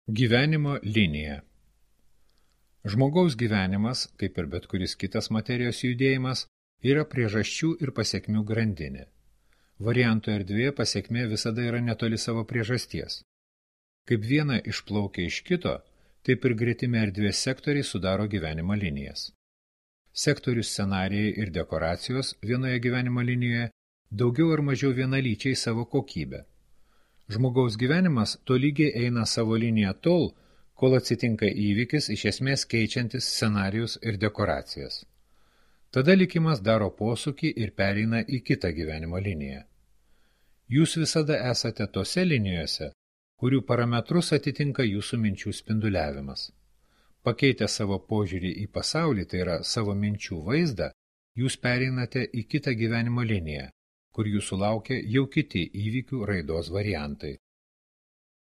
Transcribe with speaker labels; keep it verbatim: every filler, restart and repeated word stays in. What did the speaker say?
Speaker 1: Gyvenimo linija. Žmogaus gyvenimas, kaip ir bet kuris kitas materijos judėjimas, yra priežasčių ir pasekmių grandinė. Variantų erdvėje pasekmė visada yra netoli savo priežasties. Kaip viena išplaukia iš kito, taip ir gretimi erdvės sektoriai sudaro gyvenimo linijas. Sektorių scenarijai ir dekoracijos vienoje gyvenimo linijoje daugiau ar mažiau vienalyčiai savo kokybę. Žmogaus gyvenimas tolygiai eina savo liniją tol, kol atsitinka įvykis iš esmės keičiantis scenarijus ir dekoracijas. Tada likimas daro posūkį ir pereina į kitą gyvenimo liniją. Jūs visada esate tose linijose, kurių parametrus atitinka jūsų minčių spinduliavimas. Pakeitę savo požiūrį į pasaulį, tai yra savo minčių vaizdą, jūs pereinate į kitą gyvenimo liniją, kur jūsų laukia jau kiti įvykių raidos variantai.